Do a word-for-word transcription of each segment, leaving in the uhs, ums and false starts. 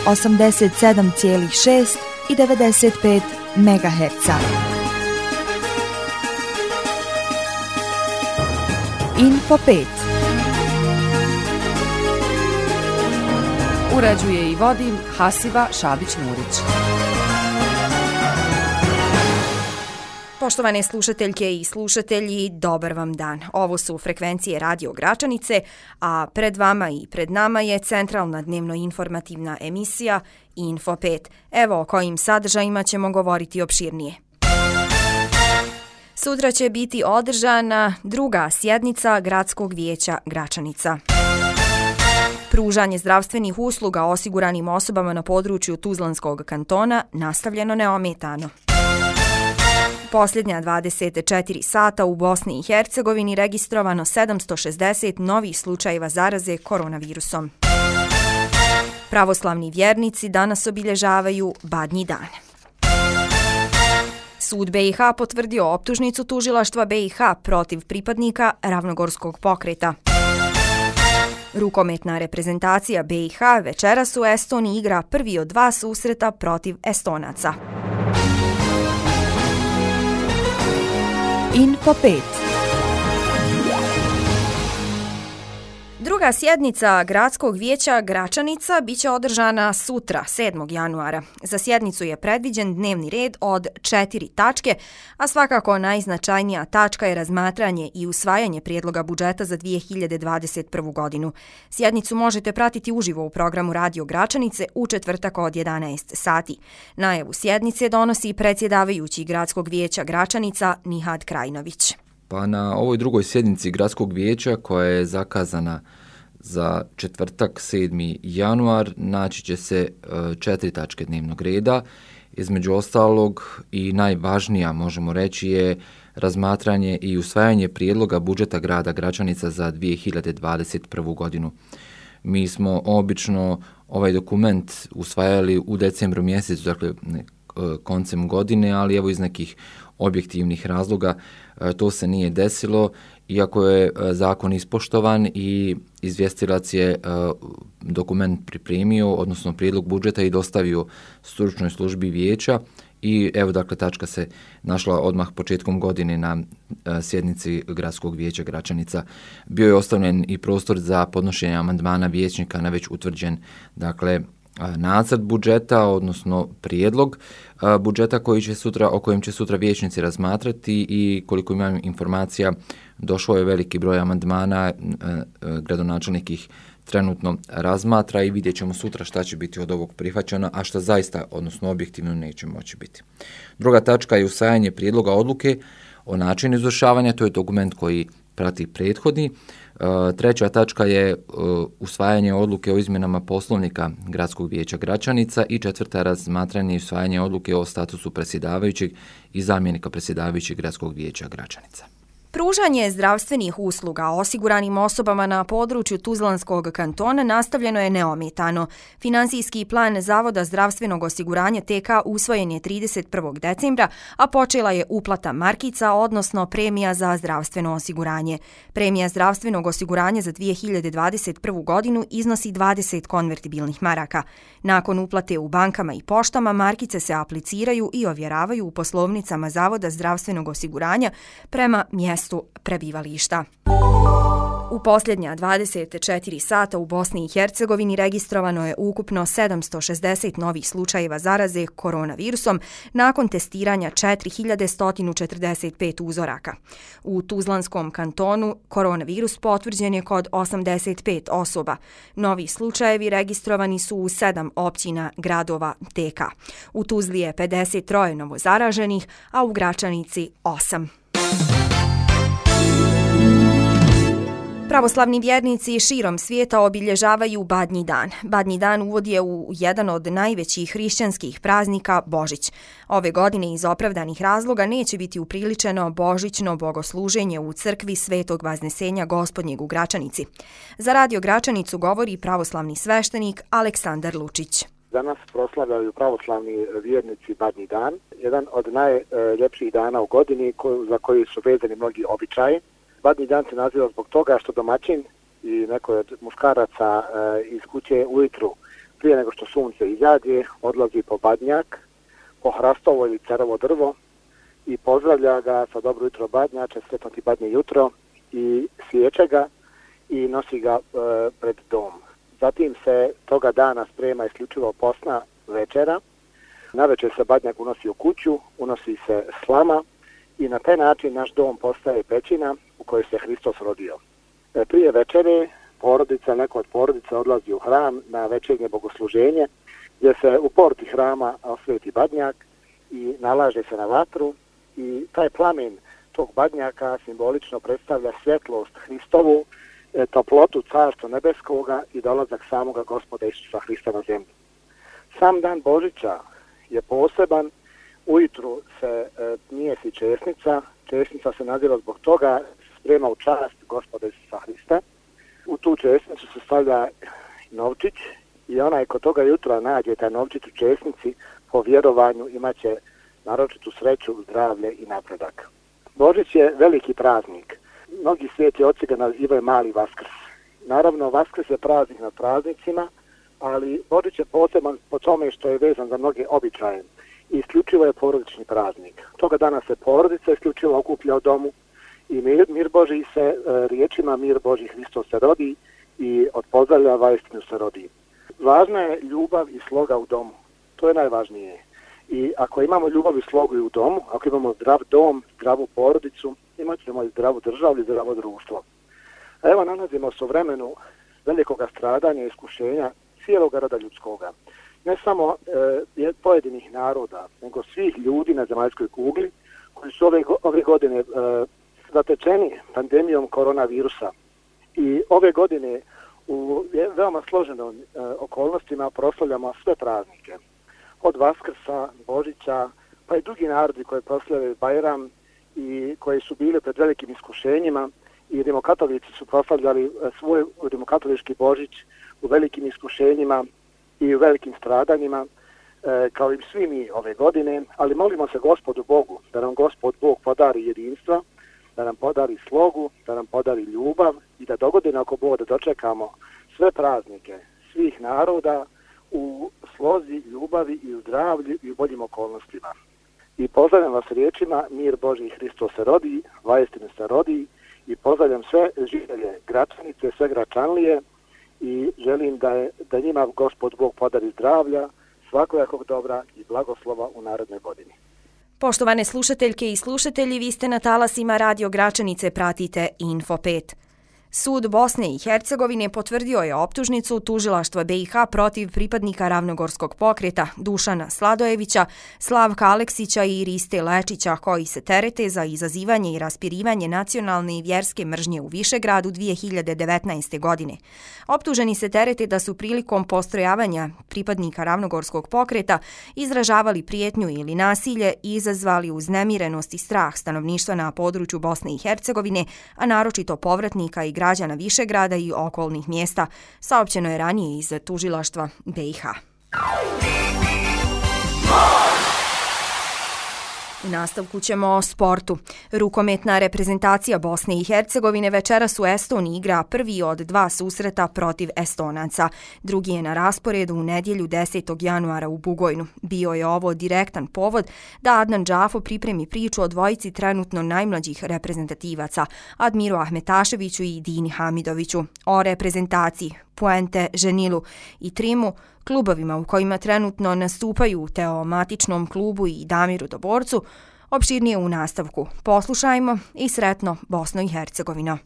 osamdeset sedam zarez šest i devedeset pet megaherca. Info pet. Uređuje i vodi Hasiba Šabić-Murić. Poštovane slušateljke i slušatelji, dobar vam dan. Ovo su frekvencije Radio Gračanice, a pred vama i pred nama je centralna dnevno-informativna emisija Info pet. Evo o kojim sadržajima ćemo govoriti opširnije. Sutra će biti održana druga sjednica Gradskog vijeća Gračanica. Pružanje zdravstvenih usluga osiguranim osobama na području Tuzlanskog kantona nastavljeno neometano. Posljednja dvadeset četiri sata u Bosni i Hercegovini registrovano sedamsto šezdeset novih slučajeva zaraze koronavirusom. Pravoslavni vjernici danas obilježavaju Badnji dan. Sud B i H potvrdio optužnicu tužilaštva B i H protiv pripadnika Ravnogorskog pokreta. Rukometna reprezentacija B i H večeras u Estoniji igra prvi od dva susreta protiv Estonaca. Info pet. Druga sjednica Gradskog vijeća Gračanica biće održana sutra, sedmog januara. Za sjednicu je predviđen dnevni red od četiri tačke, a svakako najznačajnija tačka je razmatranje i usvajanje prijedloga budžeta za dvije hiljade dvadeset prvu. godinu. Sjednicu možete pratiti uživo u programu Radio Gračanice u četvrtak od jedanaest sati. Najavu sjednice donosi predsjedavajući Gradskog vijeća Gračanica Nihad Krajinović. Pa na ovoj drugoj sjednici Gradskog vijeća koja je zakazana za četvrtak sedmi januar naći će se četiri tačke dnevnog reda. Između ostalog i najvažnija možemo reći je razmatranje i usvajanje prijedloga budžeta grada Gračanica za dvije hiljade dvadeset prvu. godinu. Mi smo obično ovaj dokument usvajali u decembru mjesecu, dakle koncem godine, ali evo iz nekih objektivnih razloga to se nije desilo, iako je zakon ispoštovan i izvjestilac je dokument pripremio, odnosno prijedlog budžeta i dostavio stručnoj službi vijeća i evo dakle tačka se našla odmah početkom godine na sjednici Gradskog vijeća Gračanica. Bio je ostavljen i prostor za podnošenje amandmana vijećnika na već utvrđen dakle nacrt budžeta, odnosno prijedlog budžeta koji će sutra, o kojem će sutra vijećnici razmatrati i koliko imam informacija došao je veliki broj amandmana, gradonačelnik ih trenutno razmatra i vidjet ćemo sutra šta će biti od ovog prihvaćeno, a šta zaista, odnosno objektivno neće moći biti. Druga tačka je usvajanje prijedloga odluke o načinu izvršavanja, to je dokument koji prati prethodni. Treća tačka je usvajanje odluke o izmjenama poslovnika Gradskog vijeća Gračanica i četvrta razmatranje i usvajanje odluke o statusu predsjedavajućeg i zamjenika predsjedavajućeg Gradskog vijeća Gračanica. Pružanje zdravstvenih usluga osiguranim osobama na području Tuzlanskog kantona nastavljeno je neometano. Finansijski plan Zavoda zdravstvenog osiguranja T K usvojen je trideset prvog decembra, a počela je uplata markica, odnosno premija za zdravstveno osiguranje. Premija zdravstvenog osiguranja za dvije hiljade dvadeset prvu. godinu iznosi dvadeset konvertibilnih maraka. Nakon uplate u bankama i poštama, markice se apliciraju i ovjeravaju u poslovnicama Zavoda zdravstvenog osiguranja prema mjestu prebivališta. U posljednja dvadeset četiri sata u Bosni i Hercegovini registrovano je ukupno sedamsto šezdeset novih slučajeva zaraze koronavirusom nakon testiranja četiri hiljade sto četrdeset pet uzoraka. U Tuzlanskom kantonu koronavirus potvrđen je kod osamdeset pet osoba. Novi slučajevi registrovani su u sedam općina gradova T K. U Tuzli je pedeset tri novo zaraženih, a u Gračanici osam. Pravoslavni vjernici širom svijeta obilježavaju Badnji dan. Badnji dan uvod je u jedan od najvećih hrišćanskih praznika Božić. Ove godine iz opravdanih razloga neće biti upriličeno božićno bogosluženje u crkvi Svetog Vaznesenja Gospodnjeg u Gračanici. Za Radio Gračanicu govori pravoslavni sveštenik Aleksandar Lučić. Danas proslavljaju pravoslavni vjernici Badnji dan, jedan od najljepših dana u godini za koji su vezani mnogi običaji. Badnji dan se naziva zbog toga što domaćin i neko od muškaraca iz kuće ujutru prije nego što sunce izađe, odlazi po badnjak, po hrastovo ili cerovo drvo i pozdravlja ga sa dobro jutro badnjače, sretno ti badnje jutro, i svijeće ga i nosi ga e, pred dom. Zatim se toga dana sprema isključivo posna večera. Navečer se badnjak unosi u kuću, unosi se slama i na taj način naš dom postaje pećina u kojoj se Hristos rodio. E, prije večere porodica, neko od porodica odlazi u hram na večernje bogosluženje, gdje se u porti hrama osveti badnjak i nalaže se na vatru i taj plamen tog badnjaka simbolično predstavlja svjetlost Hristovu, e, toplotu carstva nebeskoga i dolazak samoga Gospoda Isusa Hrista na zemlju. Sam dan Božića je poseban, ujutru se e, mijesi česnica, česnica se nazira zbog toga, sprema u čast Gospoda Isusa Hrista. U tu česnicu se stavlja novčić i onaj ko toga jutra nađe taj novčić u česnici, po vjerovanju imaće naročitu sreću, zdravlje i napredak. Božić je veliki praznik. Mnogi sveti oci ga nazivaju mali Vaskrs. Naravno, Vaskrs je praznik nad praznicima, ali Božić je poseban po tome što je vezan za mnoge običaje. I isključivo je porodični praznik. Toga dana se porodica isključivo okuplja u domu i mir, mir Božji se e, riječima mir Božji Hristos se rodi i od pozdravljava istinu se rodi. Važna je ljubav i sloga u domu. To je najvažnije. I ako imamo ljubav i slogu i u domu, ako imamo zdrav dom, zdravu porodicu, imat ćemo i zdravu državu i zdravo društvo. A evo nalazimo se u vremenu velikog stradanja i iskušenja cijelog roda ljudskoga. Ne samo e, pojedinih naroda, nego svih ljudi na zemaljskoj kugli koji su ove, ove godine e, zatečeni pandemijom koronavirusa. I ove godine u veoma složenim e, okolnostima proslavljamo sve praznike. Od Vaskrsa, Božića, pa i drugi narodi koji proslavljaju Bajram i koji su bili pred velikim iskušenjima i rimokatolici su proslavljali svoj rimokatolički Božić u velikim iskušenjima i u velikim stradanjima, e, kao i svi mi ove godine, ali molimo se Gospodu Bogu da nam Gospod Bog podari jedinstva, da nam podari slogu, da nam podari ljubav i da dogodine ako Bog da dočekamo sve praznike svih naroda u slozi, ljubavi i u zdravlju i u boljim okolnostima. I pozdravljam vas riječima mir Božji Hristos se rodi, vaistinu se rodi i pozdravljam sve žitelje Gračanice, sve Gračanlije i želim da, je, da njima Gospod Bog podari zdravlja, svakojakog dobra i blagoslova u narednoj godini. Poštovane slušateljke i slušatelji, vi ste na talasima Radio Gračanice, pratite Info pet. Sud Bosne i Hercegovine potvrdio je optužnicu tužilaštva be i ha protiv pripadnika Ravnogorskog pokreta Dušana Sladojevića, Slavka Aleksića i Riste Lečića, koji se terete za izazivanje i raspirivanje nacionalne i vjerske mržnje u Višegradu dvije hiljade devetnaeste. godine. Optuženi se terete da su prilikom postrojavanja pripadnika Ravnogorskog pokreta izražavali prijetnju ili nasilje i izazvali uznemirenost i strah stanovništva na području Bosne i Hercegovine, a naročito povratnika i građana Višegrada i okolnih mjesta, saopćeno je ranije iz tužilaštva be i ha. U nastavku ćemo o sportu. Rukometna reprezentacija Bosne i Hercegovine večeras u Estoniji igra prvi od dva susreta protiv Estonaca. Drugi je na rasporedu u nedjelju desetog januara u Bugojnu. Bio je ovo direktan povod da Adnan Džafo pripremi priču o dvojici trenutno najmlađih reprezentativaca, Admiru Ahmetaševiću i Dini Hamidoviću. O reprezentaciji, Puente, Ženilu i Trimu, klubovima u kojima trenutno nastupaju u Teomatičnom klubu i Damiru Doborcu, opširnije u nastavku. Poslušajmo i sretno Bosno i Hercegovino.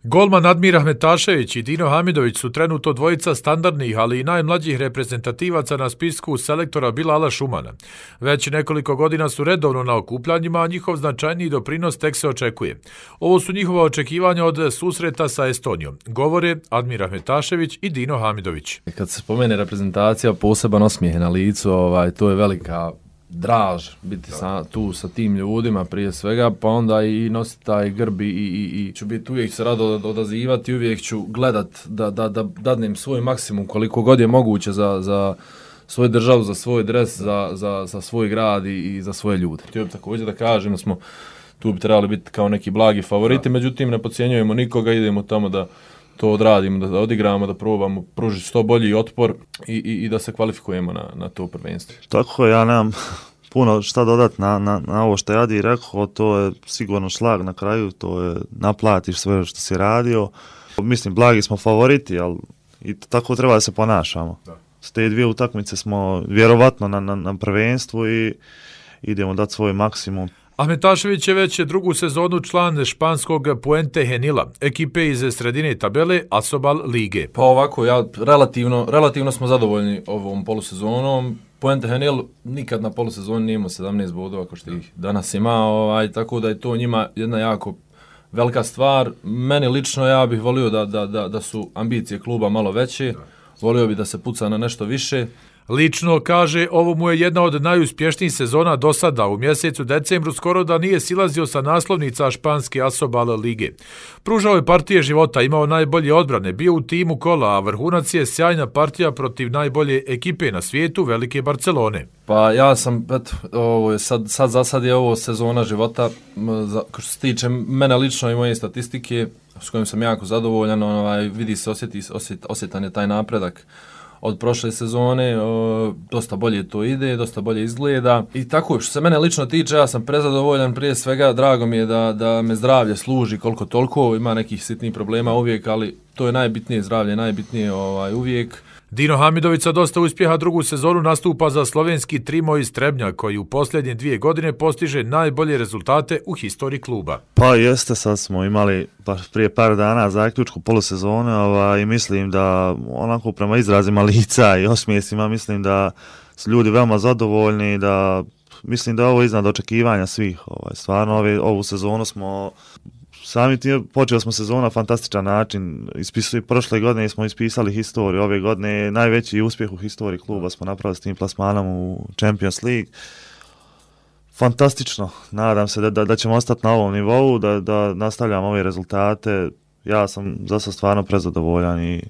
Golman Admir Ahmetašević i Dino Hamidović su trenutno dvojica standardnih, ali i najmlađih reprezentativaca na spisku selektora Bilala Šumana. Već nekoliko godina su redovno na okupljanjima, a njihov značajniji doprinos tek se očekuje. Ovo su njihova očekivanja od susreta sa Estonijom. Govore Admir Ahmetašević i Dino Hamidović. Kad se spomene reprezentacija, poseban osmijeh na licu, ovaj, to je velika draž biti sa, tu sa tim ljudima prije svega, pa onda i nositi taj grb i, i, i ću biti uvijek se rado odazivati, uvijek ću gledat da, da, da dadnem svoj maksimum koliko god je moguće za, za svoju državu, za svoj dres, za, za, za svoj grad i, i za svoje ljude. Htio bih također da kažem da smo tu bi trebali biti kao neki blagi favoriti, međutim ne podcjenjujemo nikoga, idemo tamo da to odradimo, da odigramo, da probamo pružiti što bolji otpor i, i, i da se kvalifikujemo na, na to prvenstvo. Tako je, ja nemam puno šta dodati na, na, na ovo što je Adi rekao, to je sigurno šlag na kraju, to je naplatiš sve što si radio. Mislim, blagi smo favoriti, ali i tako treba da se ponašamo. Da. S te dvije utakmice smo vjerovatno na, na, na prvenstvu i idemo dati svoj maksimum. Ahmetašević je već drugu sezonu član španskog Puente Genila, ekipe iz sredine tabele Asobal lige. Pa ovako, ja relativno, relativno smo zadovoljni ovom polusezonom. Puente Genil nikad na polusezoni nije imao sedamnaest bodova kao što ih danas ima, ovaj, tako da je to njima jedna jako velika stvar. Meni lično ja bih volio da, da, da, da su ambicije kluba malo veće, volio bih da se puca na nešto više. Lično kaže, ovo mu je jedna od najuspješnijih sezona do sada. U mjesecu decembru skoro da nije silazio sa naslovnica španske Asobal lige. Pružao je partije života, imao najbolje odbrane, bio u timu kola, a vrhunac je sjajna partija protiv najbolje ekipe na svijetu, Velike Barcelone. Pa ja sam, eto, ovo je sad, sad za sad je ovo sezona života, za, što se tiče mene lično i moje statistike, s kojim sam jako zadovoljan, ovaj, vidi se, osjeti, osjet, osjetan je taj napredak od prošle sezone, o, dosta bolje to ide, dosta bolje izgleda i tako, što se mene lično tiče, ja sam prezadovoljan, prije svega drago mi je da, da me zdravlje služi koliko toliko, ima nekih sitnih problema uvijek, ali to je najbitnije, zdravlje najbitnije ovaj, uvijek. Dino Hamidović sa dosta uspjeha drugu sezonu nastupa za slovenski Trimo iz Trebnja, koji u posljednje dvije godine postiže najbolje rezultate u historiji kluba. Pa jeste, sad smo imali pa prije par dana zaključku polusezone ovaj, i mislim da onako prema izrazima lica i osmijesima mislim da su ljudi veoma zadovoljni, da mislim da je ovo iznad očekivanja svih. Ovaj, stvarno ove, ovu sezonu smo sami tim, počeli smo sezonu na fantastičan način. Ispisali, prošle godine smo ispisali historiju, ove godine najveći uspjeh u historiji kluba smo napravili s tim plasmanom u Champions League. Fantastično, nadam se da, da, da ćemo ostati na ovom nivou, da, da nastavljamo ove rezultate. Ja sam za sad stvarno prezadovoljan i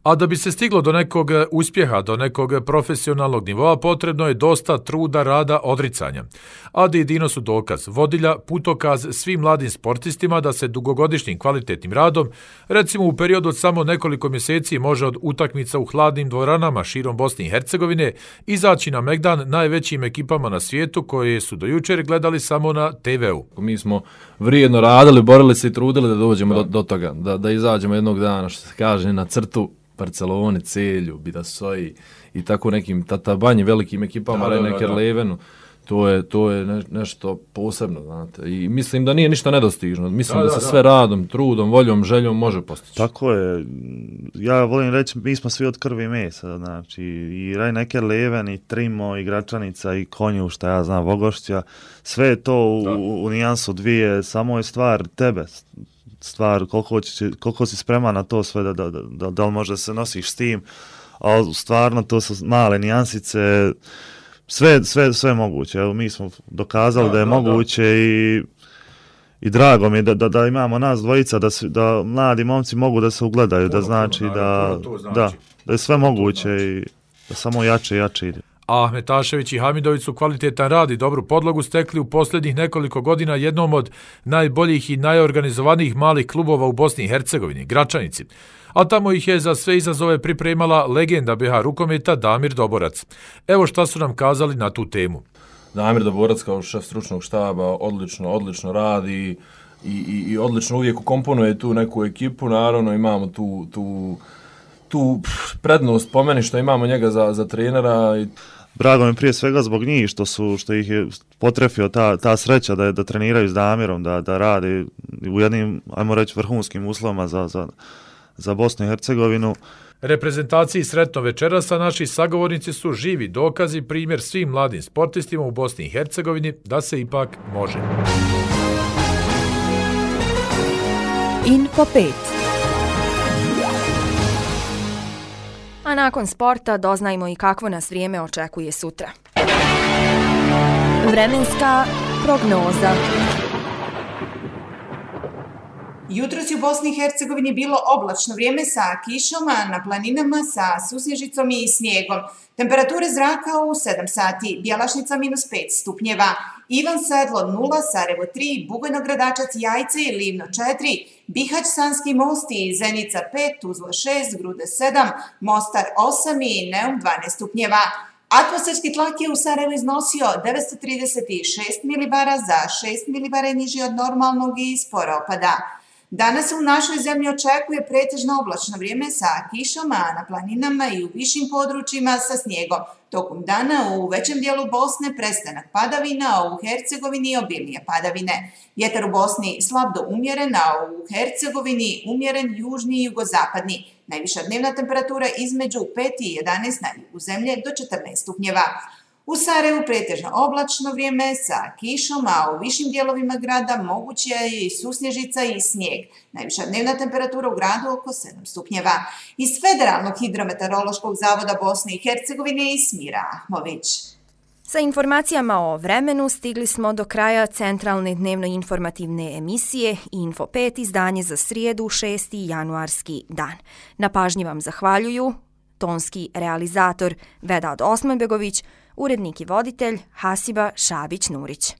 A da bi se stiglo do nekog uspjeha, do nekog profesionalnog nivoa, potrebno je dosta truda, rada, odricanja. Adi i Dino su dokaz, vodilja, putokaz svim mladim sportistima da se dugogodišnjim kvalitetnim radom, recimo u periodu od samo nekoliko mjeseci, može od utakmica u hladnim dvoranama širom Bosne i Hercegovine izaći na megdan najvećim ekipama na svijetu koje su do jučer gledali samo na te veu. Mi smo vrijedno radili, borili se i trudili da dođemo do, do toga, da, da izađemo jednog dana, što se kaže, na crtu Barcelone, Celju, Bidasoji i tako nekim tatabanje velikim ekipama, Rhein-Neckar Levenu. To je, to je ne, nešto posebno, znate. I mislim da nije ništa nedostižno. Mislim da, da, da se sve radom, trudom, voljom, željom može postići. Tako je. Ja volim reći, mi smo svi od krvi i mesa. Znači, i Rhein-Neckar Leven, i Trimo, i Gračanica, i Konju, šta ja znam, Vogošća. Sve je to u, u, u nijansu dvije. Samo je stvar tebe. Stvar koliko, će, koliko si spreman na to sve, da, da, da, da li možda se nosiš s tim. A stvarno to su male nijansice. Sve, sve, sve moguće. Evo, mi smo dokazali da, da je da, moguće da. i i drago mi je da, da, da imamo nas dvojica, da, da mladi momci mogu da se ugledaju, puno, da znači, puno, da, puno znači. Da, da je sve moguće i da samo jače i jače ide. Ahmetašević i Hamidović su kvalitetan rad i dobru podlogu stekli u posljednjih nekoliko godina jednom od najboljih i najorganizovanijih malih klubova u Bosni i Hercegovini, Gračanici. A tamo ih je za sve izazove pripremala legenda be ha rukometa Damir Doborac. Evo šta su nam kazali na tu temu. Damir Doborac kao šef stručnog štaba odlično, odlično radi i, i, i odlično uvijek ukomponuje tu neku ekipu. Naravno imamo tu, tu, tu prednost po meni što imamo njega za, za trenera. I drago mi prije svega zbog njih što su što ih je potrefio ta ta sreća da da treniraju s Damirom, da da rade u jednim, ajmo reći, vrhunskim uslovima za za za Bosnu i Hercegovinu. Reprezentaciji sretno večeras, a naši sagovornici su živi dokazi, primjer svim mladim sportistima u Bosni i Hercegovini da se ipak može. Info pet. A nakon sporta doznajmo i kakvo nas vrijeme očekuje sutra. Vremenska prognoza. Jutros je u Bosni i Hercegovini bilo oblačno vrijeme sa kišom, a na planinama sa susnježicom i snijegom. Temperature zraka u sedam sati, Bjelašnica minus pet stupnjeva, Ivan Sedlo nula, Sarajevo tri, Bugojno Gradačac, Jajce i Livno četiri, Bihać, Sanski Mosti i Zenica pet, Tuzla šest, Grude sedam, Mostar osam i Neum dvanaest stupnjeva. Atmosferski tlak je u Sarajevu iznosio devetsto trideset šest milibara, za šest milibara je niži od normalnog i sporo opada. Danas se u našoj zemlji očekuje pretežno oblačno vrijeme sa kišom, a na planinama i u višim područjima sa snijegom. Tokom dana u većem dijelu Bosne prestanak padavina, a u Hercegovini obilnije padavine. Vjetar u Bosni slab do umjeren, a u Hercegovini umjeren južni i jugozapadni. Najviša dnevna temperatura između pet i jedanaest na jugu zemlje do četrnaest stupnjeva. U Sarajevu pretežno oblačno vrijeme sa kišom, a u višim dijelovima grada moguće je i susnježica i snijeg. Najviša dnevna temperatura u gradu oko sedam stupnjeva. Iz Federalnog hidrometeorološkog zavoda Bosne i Hercegovine Ismira Ahmović. Sa informacijama o vremenu stigli smo do kraja centralne dnevno-informativne emisije Info pet, izdanje za srijedu šesti januarski dan. Na pažnji vam zahvaljuju tonski realizator Vedad Osmanbegović, urednik i voditelj Hasiba Šabić-Nurić.